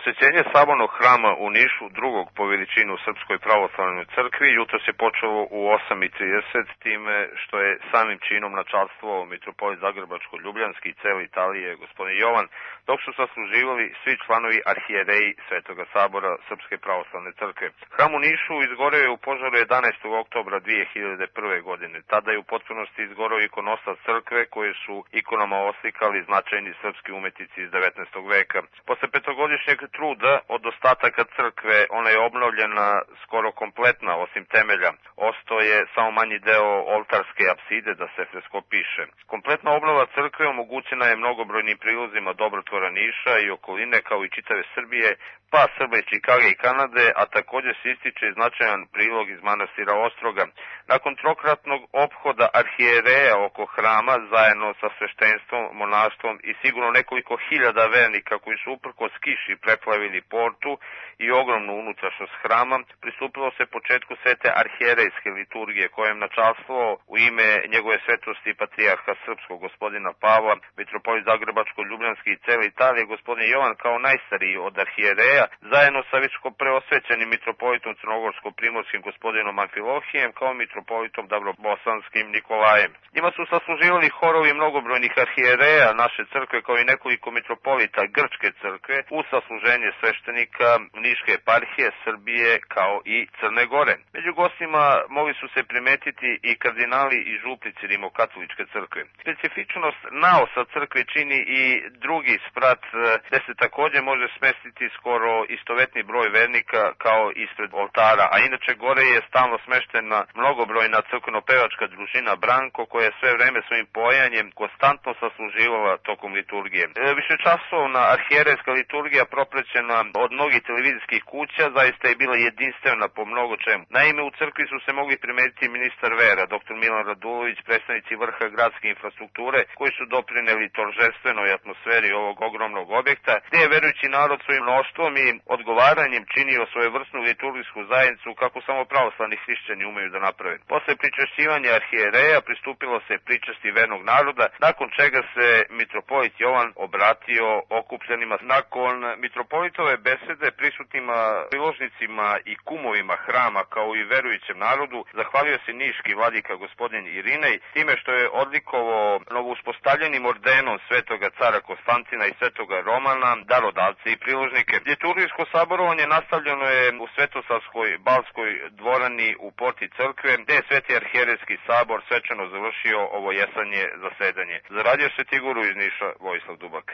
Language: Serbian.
Posjećenje Sabornog hrama u Nišu, drugog po veličini u Srpskoj pravoslavnoj crkvi, jutros je počelo u 8:30, time što je samim činom načastvovao mitropolit Zagrebačko-Ljubljanski i cele Italije, gospodin Jovan, dok su sasluživali svi članovi arhijereji Svetoga sabora Srpske pravoslavne crkve. Hram u Nišu izgoreo je u požaru 11. oktobra 2001. godine. Tada je u potpunosti izgoreo ikonostas crkve, koje su ikonama oslikali značajni srpski umetnici iz 19. veka. Posle petogodišnjeg truda od ostataka crkve, ona je obnovljena skoro kompletna, osim temelja. Ostao je samo manji deo oltarske apside da se freskopiše. Kompletna obnova crkve omogućena je mnogobrojnim prilozima dobrotvora Niša i okoline, kao i čitave Srbije, pa Srba iz Čikage i Kanade, a takođe se ističe značajan prilog iz manastira Ostroga. Nakon trokratnog ophoda arhijereja oko hrama, zajedno sa sveštenstvom, monaštvom i sigurno nekoliko hiljada vernika koji su uprkos kiši preplavili portu i ogromnu unutrašnjost hrama, pristupilo se početku svete arhijerejske liturgije, kojem načastvovao u ime njegove svetosti patrijarha srpskog gospodina Pavla, mitropolit Zagrebačko-Ljubljanski i cele Italije, gospodin Jovan kao najstariji od arhijereja, zajedno sa visko preosvećenim mitropolitom crnogorsko-primorskim gospodinom Amfilohijem, kao mitropolitom Dabrobosanskim Nikolajem. Njima su sasluživali horovi mnogobrojnih arhijereja naše crkve, kao i nekoliko mitropolita Grčke crkve, u sasluženje sveštenika Niške eparhije, Srbije, kao i Crne Gore. Među gostima mogli su se primetiti i kardinali i župnici Rimokatoličke crkve. Specifičnost naosa crkve čini i drugi sprat, gde se takođe može smestiti skoro istovetni broj vernika kao ispred oltara, a inače gore je stalno smeštena mnogobrojna crkveno-pevačka družina Branko, koja je sve vreme svojim pojanjem konstantno sasluživala tokom liturgije. Višečasovna arhijerejska liturgija, proprećena od mnogih televizijskih kuća, zaista je bila jedinstvena po mnogo čemu. Naime, u crkvi su se mogli primetiti ministar vera, dr. Milan Radulović, predstavnici vrha gradske infrastrukture, koji su doprineli toržestvenoj atmosferi ovog ogromnog objekta, gde je verujući narod svojim mnoštvom i odgovaranjem činio svojevrsnu liturgijsku zajednicu kako samo pravoslavni hrišćani umeju da naprave. Posle pričešćivanja arhijereja pristupilo se pričesti vernog naroda, nakon čega se mitropolit Jovan obratio okupljenima. Nakon mitropolitove besede prisutnima priložnicima i kumovima hrama, kao i verujućem narodu, zahvalio se niški vladika gospodin Irinej time što je odlikovao novouspostavljenim ordenom svetoga cara Konstantina i svetoga Romana darodavce i priložnike. Liturgijsko saborovanje nastavljeno je u Svetosavskoj Balskoj dvorani u porti crkve, gde je Sveti arhijerejski sabor svečano završio ovo jesanje zasedanje. Za Radio Svetigoru iz Niša, Vojislav Dubak.